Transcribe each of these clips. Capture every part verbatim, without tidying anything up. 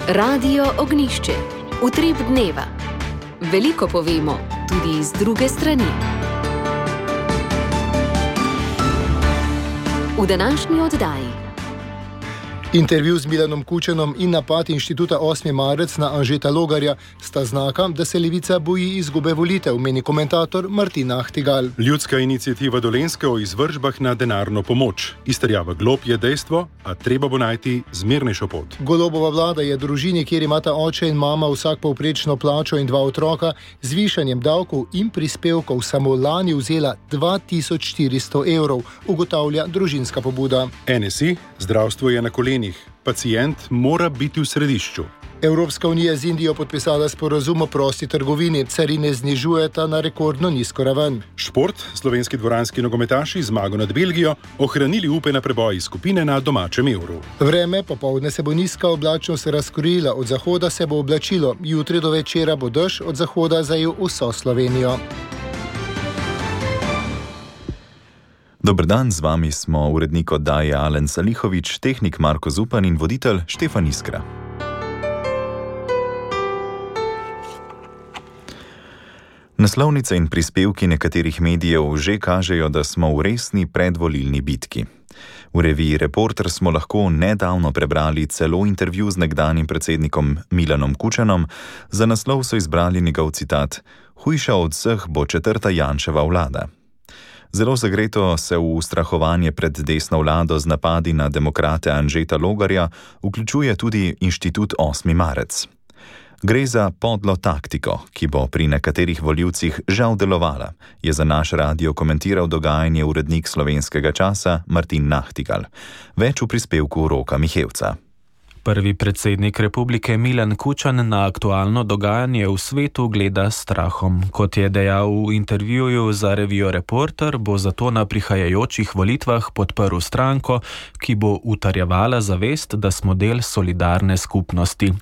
Radio Ognjišče. Utrip dneva. Veliko povemo, tudi z druge strani. V današnji oddaji. Intervju z Milanom Kučanom in napad Inštituta osmi marec na Anžeta Logarja sta znaka, da se Levica boji izgube volitev, meni komentator Martin Ahtigal. Ljudska iniciativa Dolenjske o izvršbah na denarno pomoč. Izterjava glob je dejstvo, a treba bo najti zmernejšo pot. Golobova vlada je družini, kjer imata oče in mama vsak povprečno plačo in dva otroka, z višanjem davkov in prispevkov samo lani vzela dva tisoč štiristo evrov, ugotavlja družinska pobuda. N S I, zdravstvo je na kolenih. Pacient mora biti v središču. Evropska unija z Indijo podpisala sporazum o prosti trgovini, carine znižujeta na rekordno nizko raven. Šport, slovenski dvoranski nogometaši zmago nad Belgijo, ohranili upe na preboj iz skupine na domačem Evru. Vreme, popoldne se bo nizka oblačnost razkorila, od zahoda se bo oblačilo, jutri do večera bo dež, od zahoda zajel vso Slovenijo. Dober dan, z vami smo urednik oddaje Alen Salihovič, tehnik Marko Zupan in voditelj Štefan Iskra. Naslovnice in prispevki nekaterih medijev že kažejo, da smo v resni predvolilni bitki. V reviji Reporter smo lahko nedavno prebrali celo intervju z nekdanjim predsednikom Milanom Kučanom. Za naslov so izbrali njegov citat: "Hujša od vseh bo četrta Janševa vlada." Zelo zagreto se v ustrahovanje pred desno vlado z napadi na demokrate Anžeta Logarja vključuje tudi Inštitut osmi marec. Gre za podlo taktiko, ki bo pri nekaterih volivcih žal delovala, je za naš radio komentiral dogajanje urednik Slovenskega časa Martin Ahtigal. Več v prispevku Roka Mihevca. Prvi predsednik republike Milan Kučan na aktualno dogajanje v svetu gleda s strahom. Kot je dejal v intervjuju za revijo Reporter, bo zato na prihajajočih volitvah podprl stranko, ki bo utrjevala zavest, da smo del solidarne skupnosti.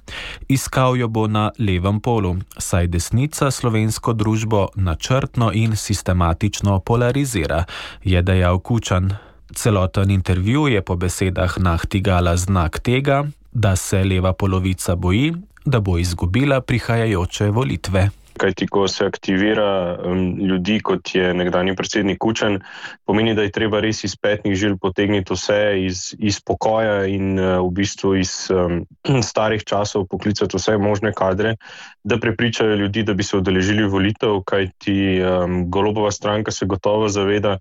Iskal jo bo na levem polu, saj desnica slovensko družbo načrtno in sistematično polarizira, je dejal Kučan. Celoten intervju je po besedah Ahtigala znak tega, da se leva polovica boji, da bo izgubila prihajajoče volitve. Kajti, ko se aktivira um, ljudi, kot je nekdanji predsednik Kučan, pomeni, da je treba res iz petnih žil potegniti vse iz, iz pokoja in uh, v bistvu iz um, starih časov poklicati vse možne kadre, da prepričajo ljudi, da bi se udeležili volitev, kajti um, Golobova stranka se gotovo zaveda,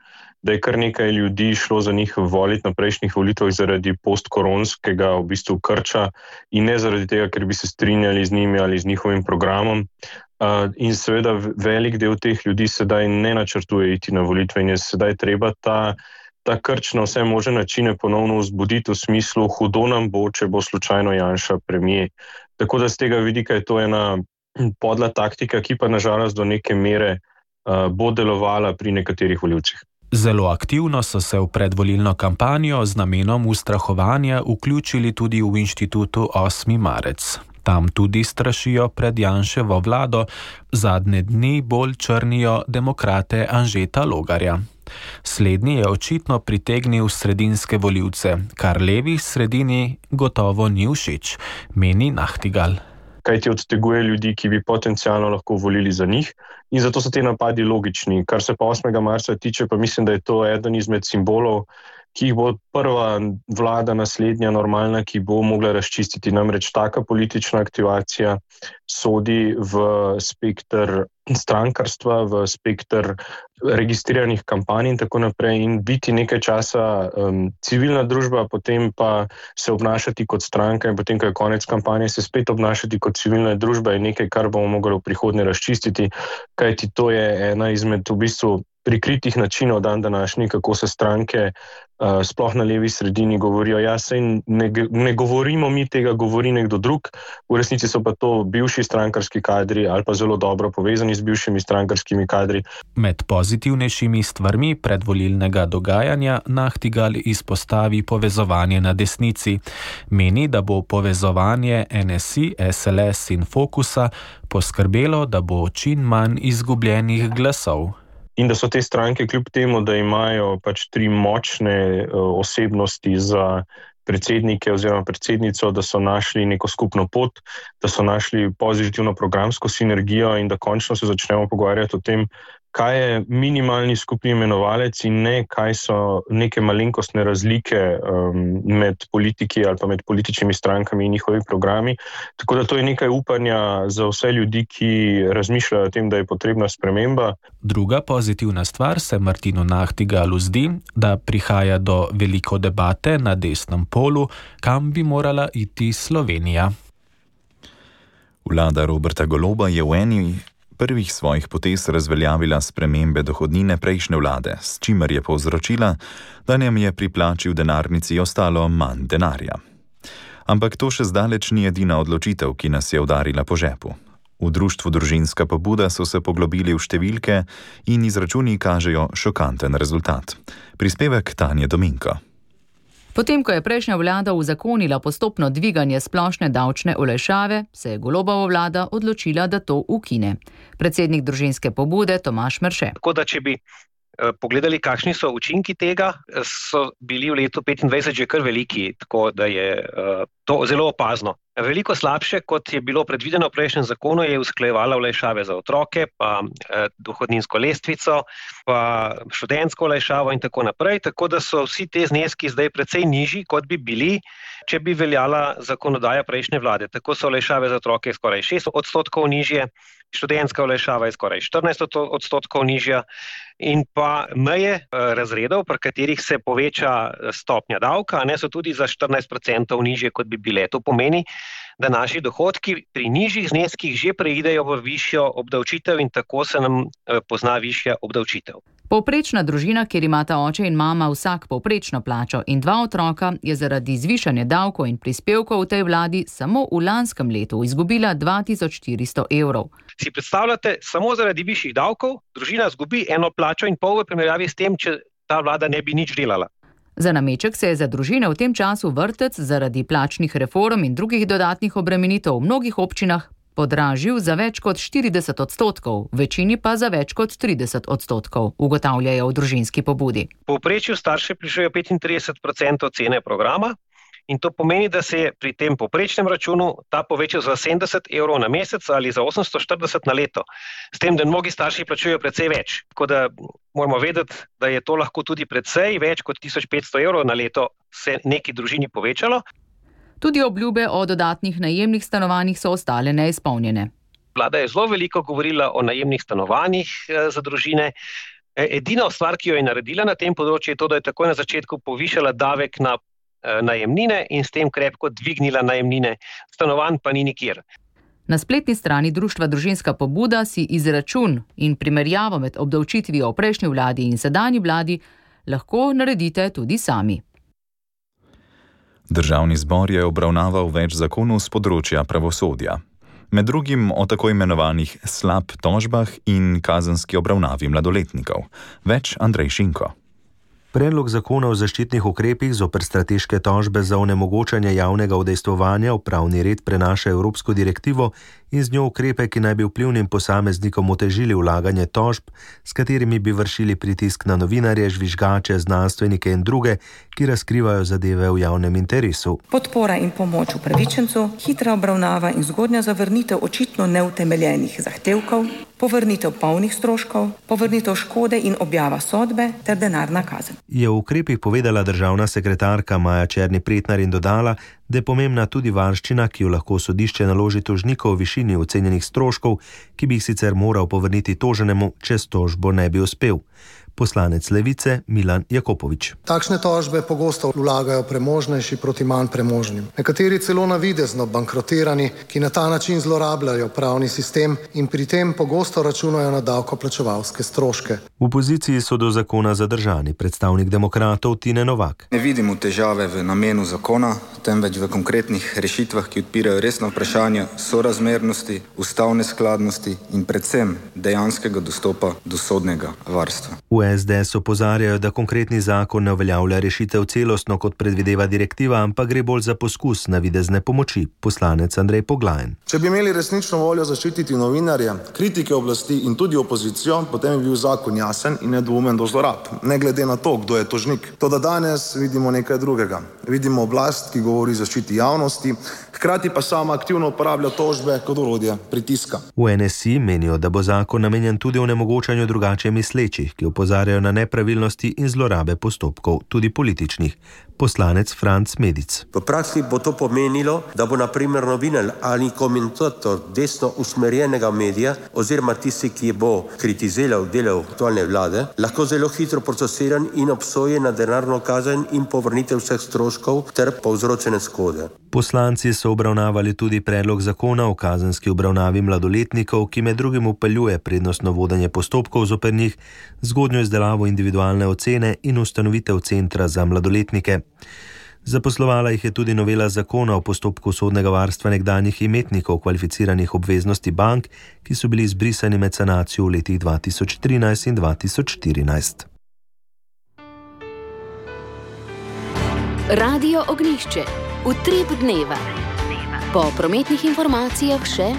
da je kar nekaj ljudi šlo za njih voliti na prejšnjih volitvah zaradi postkoronskega v bistvu krča in ne zaradi tega, ker bi se strinjali z njimi ali z njihovim programom. Uh, in seveda velik del teh ljudi sedaj ne načrtuje iti na volitve in je sedaj treba ta, ta krč na vse možne načine ponovno vzbuditi v smislu hudo nam bo, če bo slučajno Janša premier. Tako da z tega vidika je to ena podla taktika, ki pa nažalost do neke mere uh, bo delovala pri nekaterih volivcih. Zelo aktivno so se v predvolilno kampanjo z namenom ustrahovanja vključili tudi v Inštitutu osmi marec. Tam tudi strašijo pred Janševo vlado, zadnje dni bolj črnijo demokrate Anžeta Logarja. Slednji je očitno pritegnil sredinske volivce, kar levi sredini gotovo ni všeč, meni Ahtigal. Kajti odteguje ljudi, ki bi potencialno lahko volili za njih in zato so te napadi logični. Kar se pa osmega marca tiče, pa mislim, da je to eden izmed simbolov, ki jih bo prva vlada naslednja normalna, ki bo mogla razčistiti. Namreč taka politična aktivacija sodi v spektr strankarstva, v spektr registriranih kampanj in tako naprej in biti nekaj časa um, civilna družba, potem pa se obnašati kot stranka in potem, ko je konec kampanje, se spet obnašati kot civilna družba je nekaj, kar bomo mogli v prihodnje razčistiti, kajti to je ena izmed v bistvu prikritih načinov dan današnji, kako se stranke uh, sploh na levi sredini govorijo. Ja, sej ne, ne govorimo mi tega, govori nekdo drug, v resnici so pa to bivši strankarski kadri ali pa zelo dobro povezani z bivšimi strankarskimi kadri. Med pozitivnejšimi stvarmi predvolilnega dogajanja Ahtigal izpostavi povezovanje na desnici. Meni, da bo povezovanje N S I, S L S in Fokusa poskrbelo, da bo čim manj izgubljenih glasov. In da so te stranke kljub temu, da imajo pač tri močne uh, osebnosti za predsednike oziroma predsednico, da so našli neko skupno pot, da so našli pozitivno programsko sinergijo in da končno se začnemo pogovarjati o tem, kaj je minimalni skupni imenovalec in ne, kaj so neke malenkostne razlike um, med politiki ali pa med političnimi strankami in njihovi programi. Tako da to je nekaj upanja za vse ljudi, ki razmišljajo o tem, da je potrebna sprememba. Druga pozitivna stvar se Martinu Nahtigalu zdi, da prihaja do veliko debate na desnem polu, kam bi morala iti Slovenija. Vlada Roberta Goloba je v eni prvih svojih potez razveljavila spremembe dohodnine prejšnje vlade, s čimer je povzročila, da njem je pri plači v denarnici ostalo manj denarja. Ampak to še zdaleč ni edina odločitev, ki nas je udarila po žepu. V društvu Družinska pobuda so se poglobili v številke in izračuni kažejo šokanten rezultat. Prispevek Tanje Dominko. Potem, ko je prejšnja vlada uzakonila postopno dviganje splošne davčne olajšave, se je Golobova vlada odločila, da to ukine. Predsednik Družinske pobude Tomaž Merše. Tako da, če bi pogledali, kakšni so učinki tega, so bili v letu petindvajset že kar veliki, tako da je to zelo opazno. Veliko slabše, kot je bilo predvideno v prejšnjem zakonu, je usklajevala olajšave za otroke, pa dohodninsko lestvico, pa študentsko olajšavo in tako naprej, tako da so vsi te zneski zdaj precej nižji, kot bi bili, če bi veljala zakonodaja prejšnje vlade. Tako so olajšave za otroke skoraj šest odstotkov nižje, študentska olajšava je skoraj štirinajst odstotkov nižja in pa meje razredov, pri katerih se poveča stopnja davka, ne, so tudi za štirinajst procentov nižje, kot bi bile. To pomeni, da naši dohodki pri nižjih zneskih že preidejo v višjo obdavčitev in tako se nam pozna višja obdavčitev. Povprečna družina, kjer imata oče in mama vsak povprečno plačo in dva otroka, je zaradi zvišanja davkov in prispevkov v tej vladi samo v lanskem letu izgubila dva tisoč štiristo evrov. Si predstavljate, samo zaradi višjih davkov družina izgubi eno plačo in pol v primerjavi s tem, če ta vlada ne bi nič delala. Za nameček se je za družine v tem času vrtec zaradi plačnih reform in drugih dodatnih obremenitev v mnogih občinah podražil za več kot štirideset odstotkov, v večini pa za več kot trideset odstotkov, ugotavljajo v Družinski pobudi. V povprečju starši plačujejo petintrideset procentov cene programa in to pomeni, da se je pri tem povprečnem računu ta povečal za sedemdeset evrov na mesec ali za osemsto štirideset na leto. S tem, da mnogi starši plačujejo precej več. Tako da moramo vedeti, da je to lahko tudi precej več kot tisoč petsto evrov na leto se neki družini povečalo. Tudi obljube o dodatnih najemnih stanovanjih so ostale neizpolnjene. Vlada je zelo veliko govorila o najemnih stanovanjih za družine. Edina stvar, ki jo je naredila na tem področju, je to, da je takoj na začetku povišala davek na najemnine in s tem krepko dvignila najemnine. Stanovanj pa ni nikjer. Na spletni strani Društva Družinska pobuda si izračun in primerjavo med obdavčitvijo v prejšnji vladi in sedanji vladi lahko naredite tudi sami. Državni zbor je obravnaval več zakonov z področja pravosodja. Med drugim o tako imenovanih slab tožbah in kazenski obravnavi mladoletnikov. Več Andrej Šinko. Predlog zakona o zaščitnih ukrepih zoper strateške tožbe za onemogočanje javnega udejstvovanja v pravni red prenaša evropsko direktivo in z njo ukrepe, ki naj bi vplivnim posameznikom otežili vlaganje tožb, s katerimi bi vršili pritisk na novinarje, žvižgače, znanstvenike in druge, ki razkrivajo zadeve v javnem interesu. Podpora in pomoč upravičencu, hitra obravnava in zgodnja zavrnitev očitno neutemeljenih zahtevkov, povrnitev polnih stroškov, povrnitev škode in objava sodbe ter denarna kazen. Je v ukrepih povedala državna sekretarka Maja Černi Pretnar in dodala, da je pomembna tudi varščina, ki jo lahko sodišče naloži tožniku v višini ocenjenih stroškov, ki bi jih sicer moral povrniti toženemu, če s tožbo ne bi uspel. Poslanec Levice Milan Jakopovič. Takšne tožbe pogosto vlagajo premožnejši proti manj premožnim. Nekateri celo navidezno bankrotirani, ki na ta način zlorabljajo pravni sistem in pri tem pogosto računajo na davkoplačevalske stroške. V opoziciji so do zakona zadržani predstavnik demokratov Tine Novak. Ne vidimo težave v namenu zakona, temveč v konkretnih rešitvah, ki odpirajo resno vprašanje sorazmernosti, ustavne skladnosti in predvsem dejanskega dostopa do sodnega varstva. V S D S opozarjajo, da konkretni zakon ne uveljavlja rešitev celostno, kot predvideva direktiva, ampak gre bolj za poskus navidezne pomoči. Poslanec Andrej Poglajen. Če bi imeli resnično voljo zaščititi novinarje, kritike oblasti in tudi opozicijo, potem bi bil zakon jasen in nedvoumen do zlorab, ne glede na to, kdo je tožnik. Toda danes vidimo nekaj drugega. Vidimo oblast, ki govori o zaščiti javnosti, hkrati pa sama aktivno uporablja tožbe kot orodje pritiska. V N S I menijo, da bo zakon namenjen tudi onemogočanju drugače mislečih, ki opozarjajo na nepravilnosti in zlorabe postopkov, tudi političnih. Poslanec Franc Medic. V praksi bo to pomenilo, da bo na primer novinar ali komentator desno usmerjenega medija oziroma tisti, ki bo kritiziral delo aktualne vlade, lahko zelo hitro procesiran in obsojen na denarno kazen in povrnitev vseh stroškov ter povzročene škode. Poslanci so obravnavali tudi predlog zakona o kazenski obravnavi mladoletnikov, ki med drugim upeljuje prednostno vodenje postopkov zoper njih, zgodnjo izdelavo individualne ocene in ustanovitev centra za mladoletnike. Zaposlovala jih je tudi novela zakona o postopku sodnega varstva nekdanjih imetnikov kvalificiranih obveznosti bank, ki so bili izbrisani med sanacijo v letih dva tisoč trinajst in dva tisoč štirinajst. Radio Ognjišče. Utrip dneva. Po prometnih informacijah še.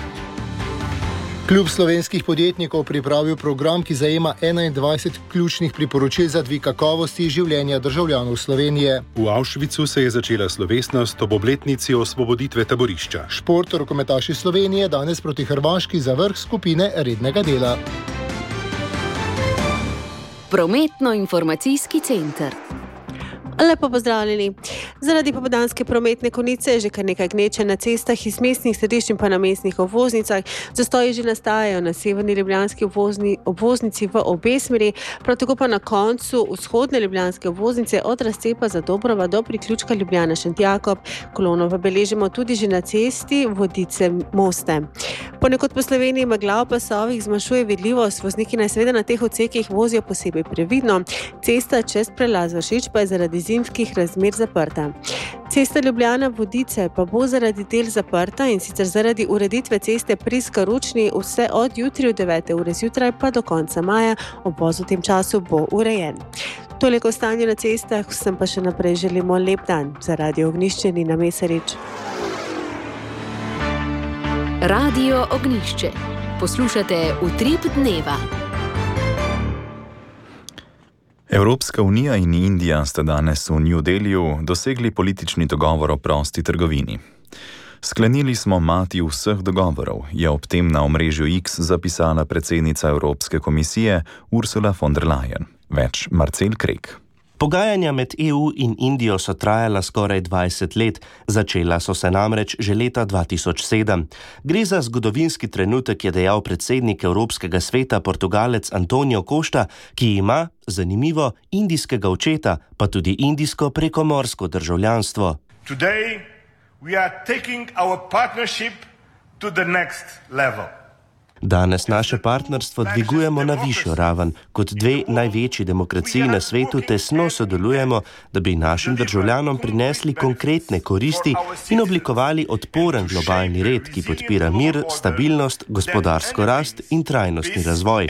Klub slovenskih podjetnikov pripravil program, ki zajema enaindvajset ključnih priporočil za dvig kakovosti življenja državljanov Slovenije. V Auschwitzu se je začela slovesnost ob obletnici osvoboditve taborišča. Šport rokometaši Slovenije danes proti Hrvaški za vrh skupine rednega dela. Prometno-informacijski center. Lepo pozdravljeni. Zaradi popoldanske prometne konice je že kar nekaj gneče na cestah iz mestnih središč in pa na mestnih obvoznicah. Zastoji že nastajajo na severni ljubljanski obvozni, obvoznici v obe smeri, prav tako pa na koncu vzhodne ljubljanske obvoznice od razcepa Zadobrova do priključka Ljubljana-Šentjakob. Kolono pa beležimo tudi že na cesti Vodice-Moste. Ponekod po Sloveniji megla v pasovih zmanjšuje vidljivost, vozniki naj seveda na teh odsekih vozijo posebej previdno. Cesta čez prelaz Vršič pa je zaradi zimskih razmer zaprta. Cesta Ljubljana-Vodice pa bo zaradi del zaprta in sicer zaradi ureditve ceste pri Skaručni vse od jutri od devete ure zjutraj pa do konca maja. Obvoz v tem času bo urejen. Toliko stanje na cestah, vsem pa še naprej želimo lep dan. Za Radio Ognjišče Nina Mesarič. Radio Ognjišče. Poslušate Utrip dneva. Evropska unija in Indija sta danes v New Delhiju dosegli politični dogovor o prosti trgovini. Sklenili smo mati vseh dogovorov, je ob tem na omrežju X zapisala predsednica Evropske komisije Ursula von der Leyen. Več Marcel Krek. Pogajanja med E U in Indijo so trajala skoraj dvajset let, začela so se namreč že leta dva tisoč sedem. Gre za zgodovinski trenutek, je dejal predsednik Evropskega sveta Portugalec Antonio Costa, ki ima, zanimivo, indijskega očeta, pa tudi indijsko prekomorsko državljanstvo. Today we are taking our partnership to the next level. Danes naše partnerstvo dvigujemo na višjo raven. Kot dve največji demokraciji na svetu tesno sodelujemo, da bi našim državljanom prinesli konkretne koristi in oblikovali odporen globalni red, ki podpira mir, stabilnost, gospodarsko rast in trajnostni razvoj.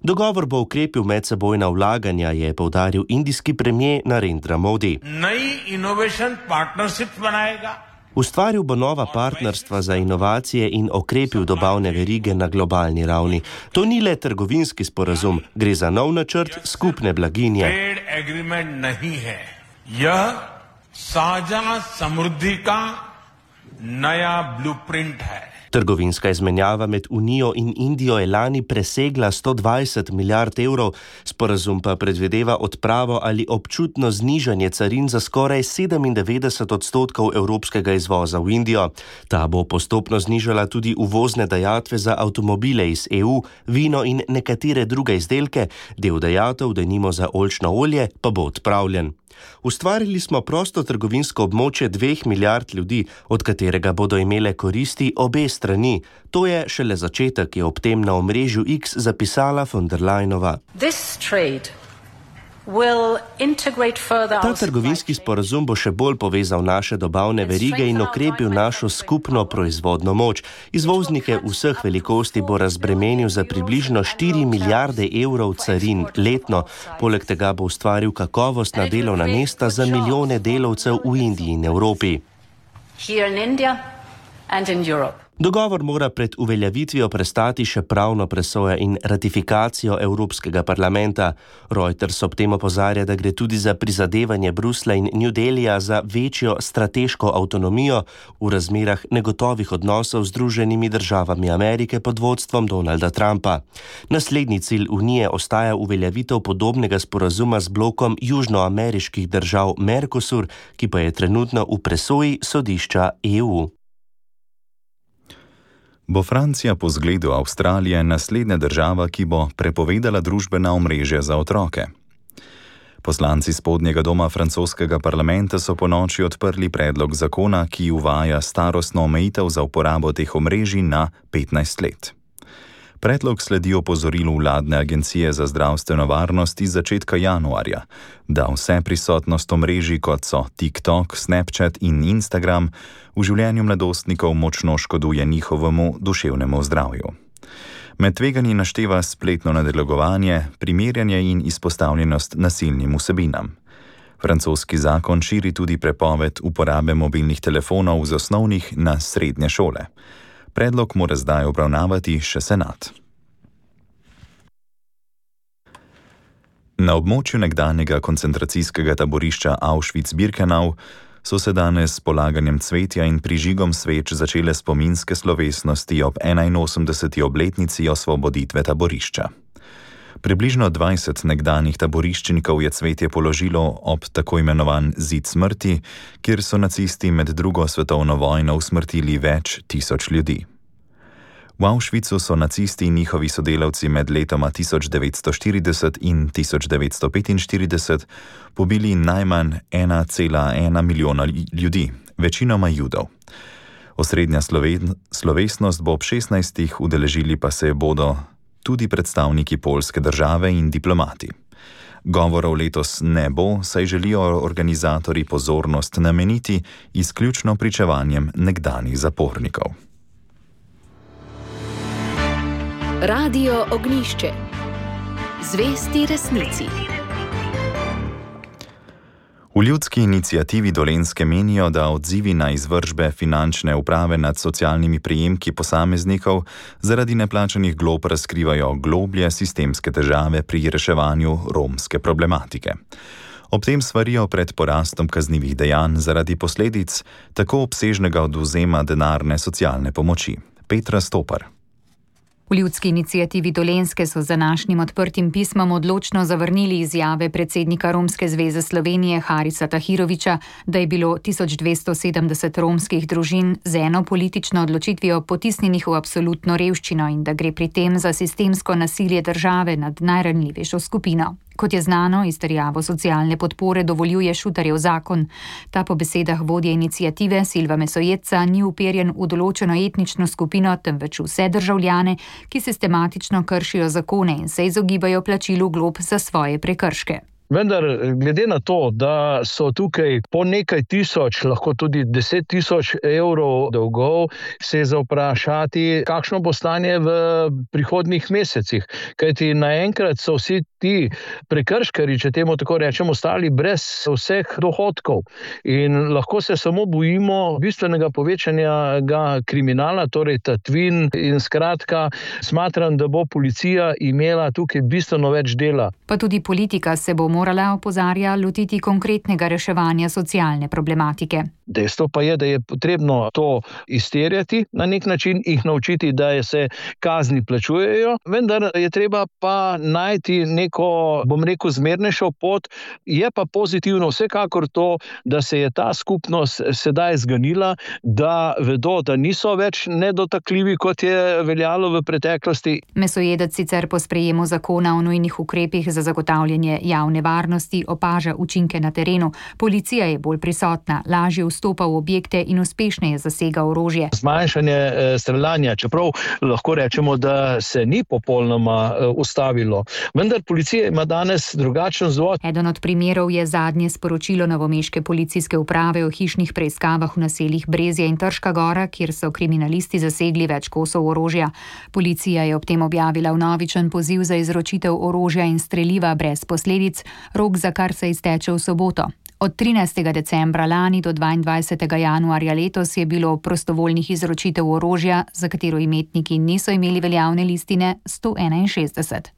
Dogovor bo ukrepil medsebojna vlaganja, je poudaril indijski premier Narendra Modi. Ustvaril bo nova partnerstva za inovacije in okrepil dobavne verige na globalni ravni. To ni le trgovinski sporazum, gre za nov načrt skupne blaginje. Trgovinska izmenjava med Unijo in Indijo je lani presegla sto dvajset milijard evrov, sporazum pa predvideva odpravo ali občutno znižanje carin za skoraj sedemindevetdeset odstotkov evropskega izvoza v Indijo. Ta bo postopno znižala tudi uvozne dajatve za avtomobile iz E U, vino in nekatere druge izdelke, del dajatev, denimo za oljčno olje, pa bo odpravljen. Ustvarili smo prosto trgovinsko območje dveh milijard ljudi, od katerega bodo imele koristi obe strani. To je šele začetek, je ob tem na omrežju X zapisala von der Leyenova. This trade Ta trgovinski sporazum bo še bolj povezal naše dobavne verige in okrepil našo skupno proizvodno moč. Izvoznike vseh velikosti bo razbremenil za približno štiri milijarde evrov carin letno. Poleg tega bo ustvaril kakovostna delovna mesta za milijone delavcev v Indiji in Evropi. Dogovor mora pred uveljavitvijo prestati še pravno presojo in ratifikacijo Evropskega parlamenta. Reuters ob tem opozarja, da gre tudi za prizadevanje Bruslja in New Delhija za večjo strateško avtonomijo v razmerah negotovih odnosov z Združenimi državami Amerike pod vodstvom Donalda Trumpa. Naslednji cilj Unije ostaja uveljavitev podobnega sporazuma z blokom južnoameriških držav Mercosur, ki pa je trenutno v presoji sodišča E U. Bo Francija po zgledu Avstralije naslednja država, ki bo prepovedala družbena omrežja za otroke? Poslanci spodnjega doma francoskega parlamenta so ponoči odprli predlog zakona, ki uvaja starostno omejitev za uporabo teh omrežij na petnajst let. Predlog sledi opozorilu vladne agencije za zdravstveno varnost iz začetka januarja, da vse prisotnost omrežij, kot so TikTok, Snapchat in Instagram, v življenju mladostnikov močno škoduje njihovemu duševnemu zdravju. Med tveganji našteva spletno nadlegovanje, primerjanje in izpostavljenost nasilnim vsebinam. Francoski zakon širi tudi prepoved uporabe mobilnih telefonov z osnovnih na srednje šole. Predlog mora zdaj obravnavati še senat. Na območju nekdanjega koncentracijskega taborišča Auschwitz-Birkenau so se danes s polaganjem cvetja in prižigom sveč začele spominske slovesnosti ob enainosemdeseti obletnici osvoboditve taborišča. Približno dvajset nekdanjih taboriščnikov je cvetje položilo ob tako imenovan zid smrti, kjer so nacisti med drugo svetovno vojno usmrtili več tisoč ljudi. V Auschwitzu so nacisti in njihovi sodelavci med letoma tisoč devetsto štirideset in tisoč devetsto petinštirideset pobili najmanj ena cela ena milijona ljudi, večinoma Judov. Osrednja slovesnost bo ob šestnajstih, udeležili pa se bodo tudi predstavniki poljske države in diplomati. Govorov letos ne bo, saj želijo organizatorji pozornost nameniti izključno pričevanjem nekdanjih zapornikov. Radio Ognjišče. Zvesti resnici. V ljudski iniciativi Dolenjske menijo, da odzivi na izvršbe finančne uprave nad socialnimi prejemki posameznikov zaradi neplačanih glob razkrivajo globlje sistemske težave pri reševanju romske problematike. Ob tem svarijo pred porastom kaznivih dejanj zaradi posledic tako obsežnega odvzema denarne socialne pomoči. Petra Stopar. V ljudski iniciativi Dolenjske so z današnjim odprtim pismom odločno zavrnili izjave predsednika Romske zveze Slovenije Harisa Tahirovića, da je bilo tisoč dvesto sedemdeset romskih družin z eno politično odločitvijo potisnjenih v absolutno revščino in da gre pri tem za sistemsko nasilje države nad najranljivejšo skupino. Kot je znano, izterjavo socialne podpore dovoljuje Šutarjev zakon. Ta po besedah vodje iniciative Silva Mesojetca ni uperjen v določeno etnično skupino, temveč vse državljane, ki sistematično kršijo zakone in se izogibajo plačilu glob za svoje prekrške. Vendar, glede na to, da so tukaj po nekaj tisoč, lahko tudi deset tisoč evrov dolgov, se je za vprašati, kakšno bo stanje v prihodnjih mesecih. Kajti naenkrat so vsi ti prekrškari, če temu tako rečemo, ostali brez vseh dohodkov. In lahko se samo bojimo bistvenega povečanja kriminala, torej tatvin, in skratka smatram, da bo policija imela tukaj bistveno več dela. Pa tudi politika se bo morala, opozarja, lotiti konkretnega reševanja socialne problematike. Dejstvo pa je, da je potrebno to izterjati, na nek način jih naučiti, da se kazni plačujejo, vendar je treba pa najti neko, bom rekel, zmernejšo pot. Je pa pozitivno vsekakor to, da se je ta skupnost sedaj zganila, da vedo, da niso več nedotakljivi, kot je veljalo v preteklosti. Mesojedec sicer po sprejemu zakona o nujnih ukrepih za zagotavljanje javne varnosti opaža učinke na terenu. Policija je bolj prisotna, lažje vstopila vstopa v objekte in uspešneje zasega orožje. Zmanjšanje streljanja, čeprav lahko rečemo, da se ni popolnoma ustavilo. Vendar policija ima danes drugačen vzvod. Eden od primerov je zadnje sporočilo novomeške policijske uprave o hišnih preiskavah v naseljih Brezje in Trška Gora, kjer so kriminalisti zasegli več kosov orožja. Policija je ob tem objavila vnovičen poziv za izročitev orožja in streliva brez posledic, rok za kar se izteče v soboto. Od trinajstega decembra lani do dvaindvajsetega januarja letos je bilo prostovoljnih izročitev orožja, za katero imetniki niso imeli veljavne listine, sto enainšestdeset.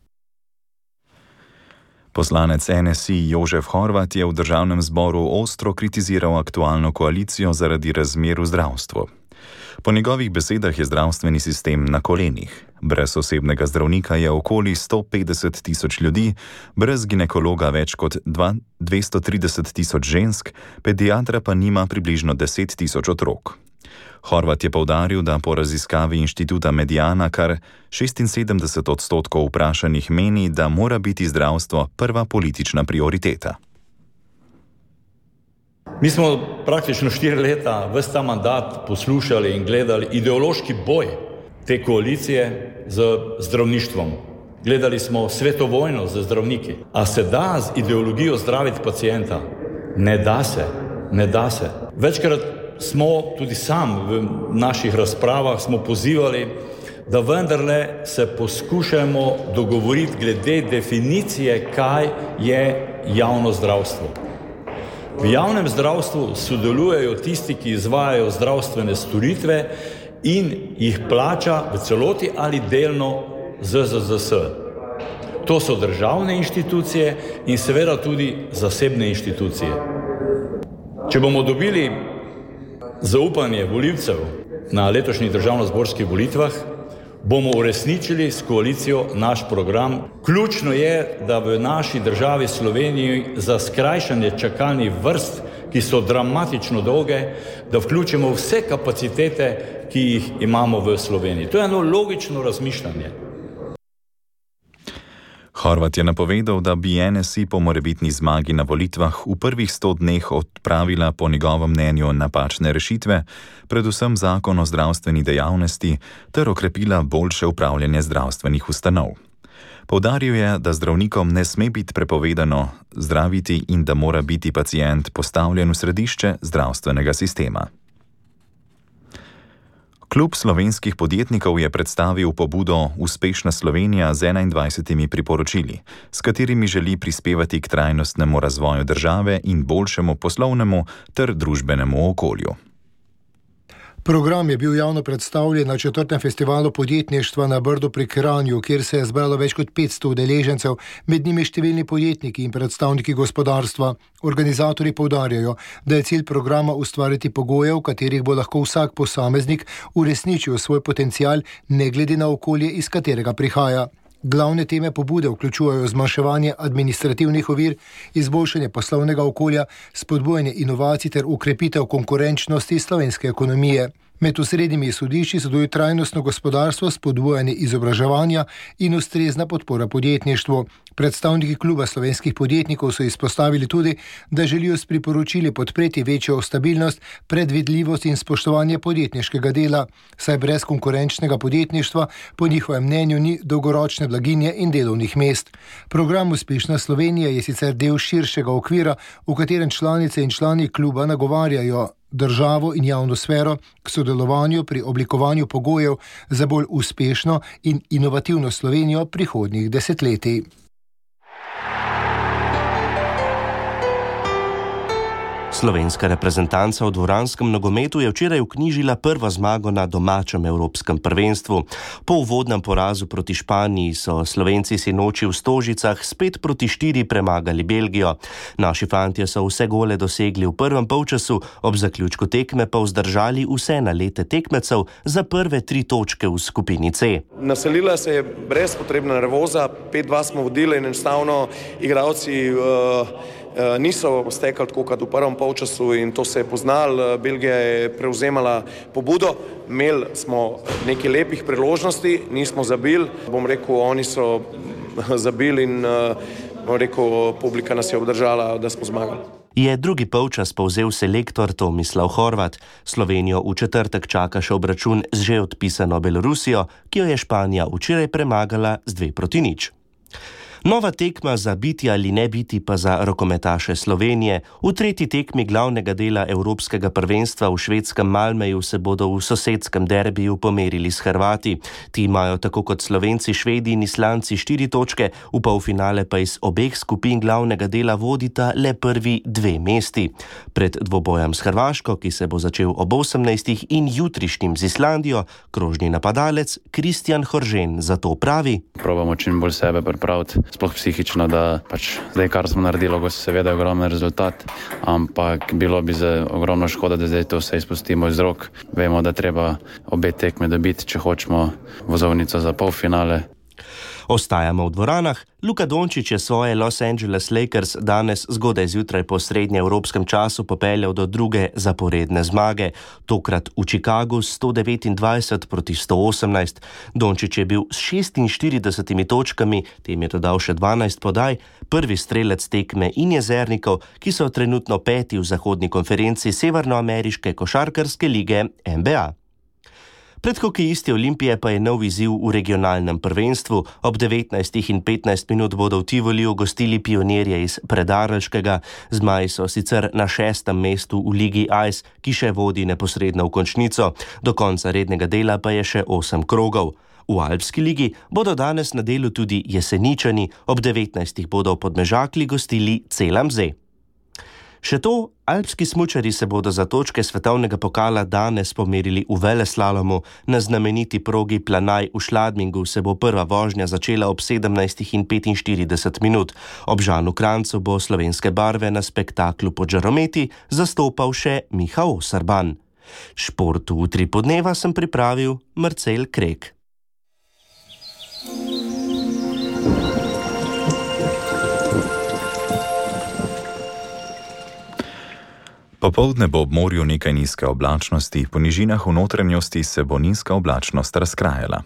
Poslanec N S I Jožef Horvat je v državnem zboru ostro kritiziral aktualno koalicijo zaradi razmer v zdravstvu. Po njegovih besedah je zdravstveni sistem na kolenih. Brez osebnega zdravnika je okoli sto petdeset tisoč ljudi, brez ginekologa več kot dvesto trideset tisoč žensk, pediatra pa nima približno deset tisoč otrok. Horvat je poudaril, da po raziskavi inštituta Mediana kar šestinsedemdeset odstotkov vprašanih meni, da mora biti zdravstvo prva politična prioriteta. Mi smo praktično štiri leta ves ta mandat poslušali in gledali ideološki boj te koalicije z zdravništvom. Gledali smo svetovojno z zdravniki. A se da z ideologijo zdraviti pacienta? Ne da se, ne da se. Večkrat smo tudi sam v naših razpravah smo pozivali, da vendarle se poskušamo dogovoriti glede definicije, kaj je javno zdravstvo. V javnem zdravstvu sodelujejo tisti, ki izvajajo zdravstvene storitve in jih plača v celoti ali delno Z Z Z S. To so državne inštitucije in seveda tudi zasebne inštitucije. Če bomo dobili zaupanje volivcev na letošnjih državnozborskih volitvah, bomo uresničili s koalicijo naš program. Ključno je, da v naši državi Sloveniji za skrajšanje čakalnih vrst, ki so dramatično dolge, da vključimo vse kapacitete, ki jih imamo v Sloveniji. To je eno logično razmišljanje. Horvat je napovedal, da bi N S I po morebitni zmagi na volitvah v prvih sto dneh odpravila po njegovem mnenju napačne rešitve, predvsem zakon o zdravstveni dejavnosti, ter okrepila boljše upravljanje zdravstvenih ustanov. Poudaril je, da zdravnikom ne sme biti prepovedano zdraviti in da mora biti pacient postavljen v središče zdravstvenega sistema. Klub slovenskih podjetnikov je predstavil pobudo Uspešna Slovenija z enaindvajsetimi priporočili, s katerimi želi prispevati k trajnostnemu razvoju države in boljšemu poslovnemu ter družbenemu okolju. Program je bil javno predstavljen na četrtem festivalu podjetništva na Brdu pri Kranju, kjer se je zbralo več kot petsto udeležencev, med njimi številni podjetniki in predstavniki gospodarstva. Organizatorji poudarjajo, da je cilj programa ustvariti pogoje, v katerih bo lahko vsak posameznik uresničil svoj potencial, ne glede na okolje, iz katerega prihaja. Glavne teme pobude vključujejo zmanjševanje administrativnih ovir, izboljšanje poslovnega okolja, spodbujanje inovacij ter ukrepitev konkurenčnosti slovenske ekonomije. Med osrednjimi izhodišči so tudi trajnostno gospodarstvo, spodbujanje izobraževanja in ustrezna podpora podjetništvu. Predstavniki kluba slovenskih podjetnikov so izpostavili tudi, da želijo s priporočili podpreti večjo stabilnost, predvidljivost in spoštovanje podjetniškega dela, saj brez konkurenčnega podjetništva po njihovem mnenju ni dolgoročne blaginje in delovnih mest. Program Uspešna Slovenija je sicer del širšega okvira, v katerem članice in člani kluba nagovarjajo državo in javno sfero k sodelovanju pri oblikovanju pogojev za bolj uspešno in inovativno Slovenijo prihodnjih desetletij. Slovenska reprezentanca v dvoranskem nogometu je včeraj vknjižila prvo zmago na domačem evropskem prvenstvu. Po uvodnem porazu proti Španiji so Slovenci sinoči v Stožicah spet proti štiri premagali Belgijo. Naši fantje so vse gole dosegli v prvem polčasu, ob zaključku tekme pa vzdržali vse nalete tekmecev za prve tri točke v skupini C. Naselila se je brezpotrebna nervoza, pet dva smo vodili in enostavno igralci uh, niso stekali tako kot v prvem polčasu in to se je poznalo. Belgija je prevzemala pobudo, imeli smo nekaj lepih priložnosti, nismo zabili. Bom rekel, oni so zabili in bom rekel, publika nas je obdržala, da smo zmagali. Je drugi polčas povzel selektor Tomislav Horvat. Slovenijo v četrtek čaka še obračun z že odpisano Belorusijo, ki jo je Španija včeraj premagala z dve proti nič. Nova tekma za biti ali ne biti pa za rokometaše Slovenije. V tretji tekmi glavnega dela Evropskega prvenstva v švedskem Malmeju se bodo v sosedskem derbiju pomerili s Hrvati. Ti imajo tako kot Slovenci, Švedi in Islandci štiri točke, v polfinale pa iz obeh skupin glavnega dela vodita le prvi dve mesti. Pred dvobojem s Hrvaško, ki se bo začel ob osemnajstih, in jutrišnjim z Islandijo, krožni napadalec Kristjan Horžen zato pravi: Probamo čim bolj sebe pripraviti. Sploh psihično, da pač zdaj, kar smo naredili, seveda je ogromen rezultat, ampak bilo bi za ogromno škoda, da zdaj to vse izpustimo iz rok. Vemo, da treba obe tekme dobiti, če hočemo vozovnico za polfinale. Ostajamo v dvoranah. Luka Dončić je svoje Los Angeles Lakers danes zgodaj zjutraj po srednjeevropskem času popeljal do druge zaporedne zmage, tokrat v Chicagu s sto devetindvajset proti sto osemnajst. Dončić je bil s šestinštiridesetimi točkami, tem je dodal še dvanajst podaj, prvi strelec tekme in jezernikov, ki so trenutno peti v zahodni konferenci Severnoameriške košarkarske lige N B A. Pred hokejisti Olimpije pa je nov izziv v regionalnem prvenstvu. Ob devetnajstih in petnajst minut bodo v Tivoliju gostili pionirje iz Predarelškega. Zmaji so sicer na šestem mestu v ligi Ice, ki še vodi neposredno v končnico. Do konca rednega dela pa je še osem krogov. V Alpski ligi bodo danes na delu tudi Jeseničani, ob devetnajstih bodo v Podmežakli gostili Celamze. Še to, alpski smučari se bodo za točke svetovnega pokala danes pomerili v veleslalomu. Na znameniti progi Planaj v Šladmingu se bo prva vožnja začela ob sedemnajstih in petinštirideset minut. Ob Žanu Krancu bo slovenske barve na spektaklu pod žarometi zastopal še Miha Osarban. Športu Utri podneva sem pripravil Marcel Krek. Popoldne bo ob morju nekaj nizke oblačnosti, po nižinah v notranjosti se bo nizka oblačnost razkrajala.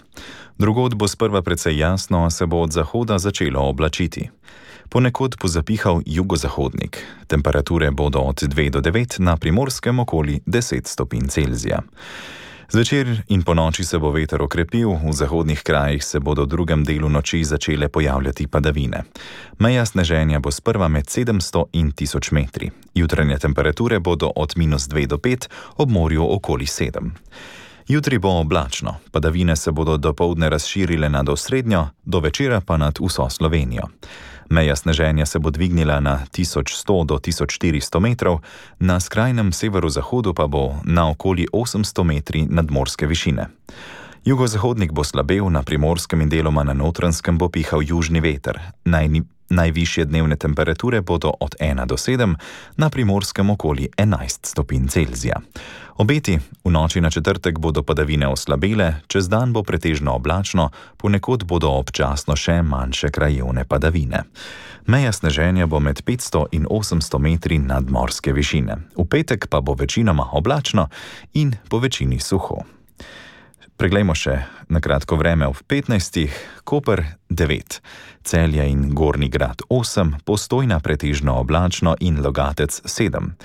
Drugod bo sprva precej jasno, a se bo od zahoda začelo oblačiti. Ponekod bo zapihal jugozahodnik. Temperature bodo od dve do devet, na Primorskem okoli deset stopinj Celzija. Zvečer in po noči se bo veter okrepil, v zahodnih krajih se bodo v drugem delu noči začele pojavljati padavine. Meja sneženja bo sprva med sedemsto in tisoč metri. Jutranje temperature bodo od minus dve do pet, ob morju okoli sedem. Jutri bo oblačno, padavine se bodo dopoldne razširile nad osrednjo, do večera pa nad vso Slovenijo. Meja sneženja se bo dvignila na tisoč sto do tisoč štiristo metrov, na skrajnem severozahodu pa bo na okoli osemsto metri nadmorske višine. Jugozahodnik bo slabel, na Primorskem in deloma na Notranjskem bo pihal južni veter. Naj, najvišje dnevne temperature bodo od ena do sedem, na Primorskem okoli enajst stopinj Celzija. Obeti v noči na četrtek bodo padavine oslabele, čez dan bo pretežno oblačno, ponekod bodo občasno še manjše krajevne padavine. Meja sneženja bo med petsto in osemsto metri nadmorske višine. V petek pa bo večinoma oblačno in po večini suho. Preglejmo še na kratko vreme ob petnajstih, Koper devet, Celje in Gornji Grad osem, Postojna pretežno oblačno in Logatec sedem,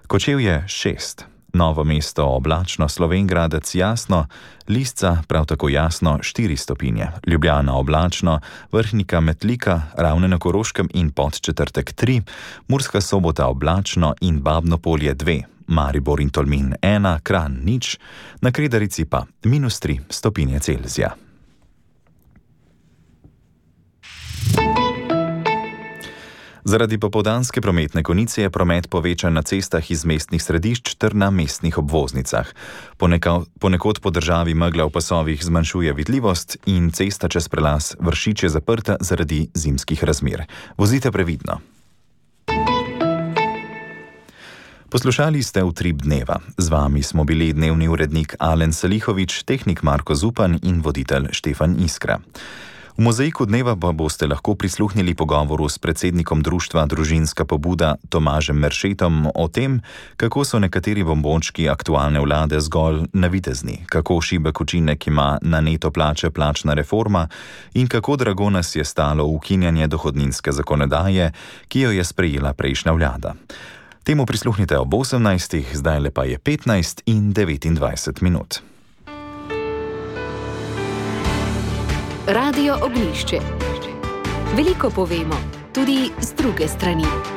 Kočevje šest, Novo mesto oblačno, Slovenj Gradec jasno, Lisca prav tako jasno štiri stopinje, Ljubljana oblačno, Vrhnika Metlika, Ravne na Koroškem in Podčetrtek tri, Murska Sobota oblačno in Babno Polje dve, Maribor in Tolmin ena, Kranj nič, na Kredarici pa minus tri stopinje Celzija. Zaradi popoldanske prometne konice je promet povečan na cestah iz mestnih središč ter na mestnih obvoznicah. Ponekod, ponekod po državi megla v pasovih zmanjšuje vidljivost in cesta čez prelaz Vršič je zaprta zaradi zimskih razmer. Vozite previdno. Poslušali ste Utrip dneva. Z vami smo bili dnevni urednik Alen Salihovič, tehnik Marko Zupan in voditelj Štefan Iskra. V mozaiku dneva pa boste lahko prisluhnili pogovoru s predsednikom društva Družinska pobuda Tomažem Meršetom o tem, kako so nekateri bombončki aktualne vlade zgolj navidezni, kako šibek učinek ima na neto plače plačna reforma in kako drago nas je stalo ukinjanje dohodninske zakonodaje, ki jo je sprejela prejšnja vlada. Temu prisluhnite ob osemnajstih, zdaj lepa je petnajst in devetindvajset minut. Radio Ognjišče. Veliko povemo, tudi z druge strani.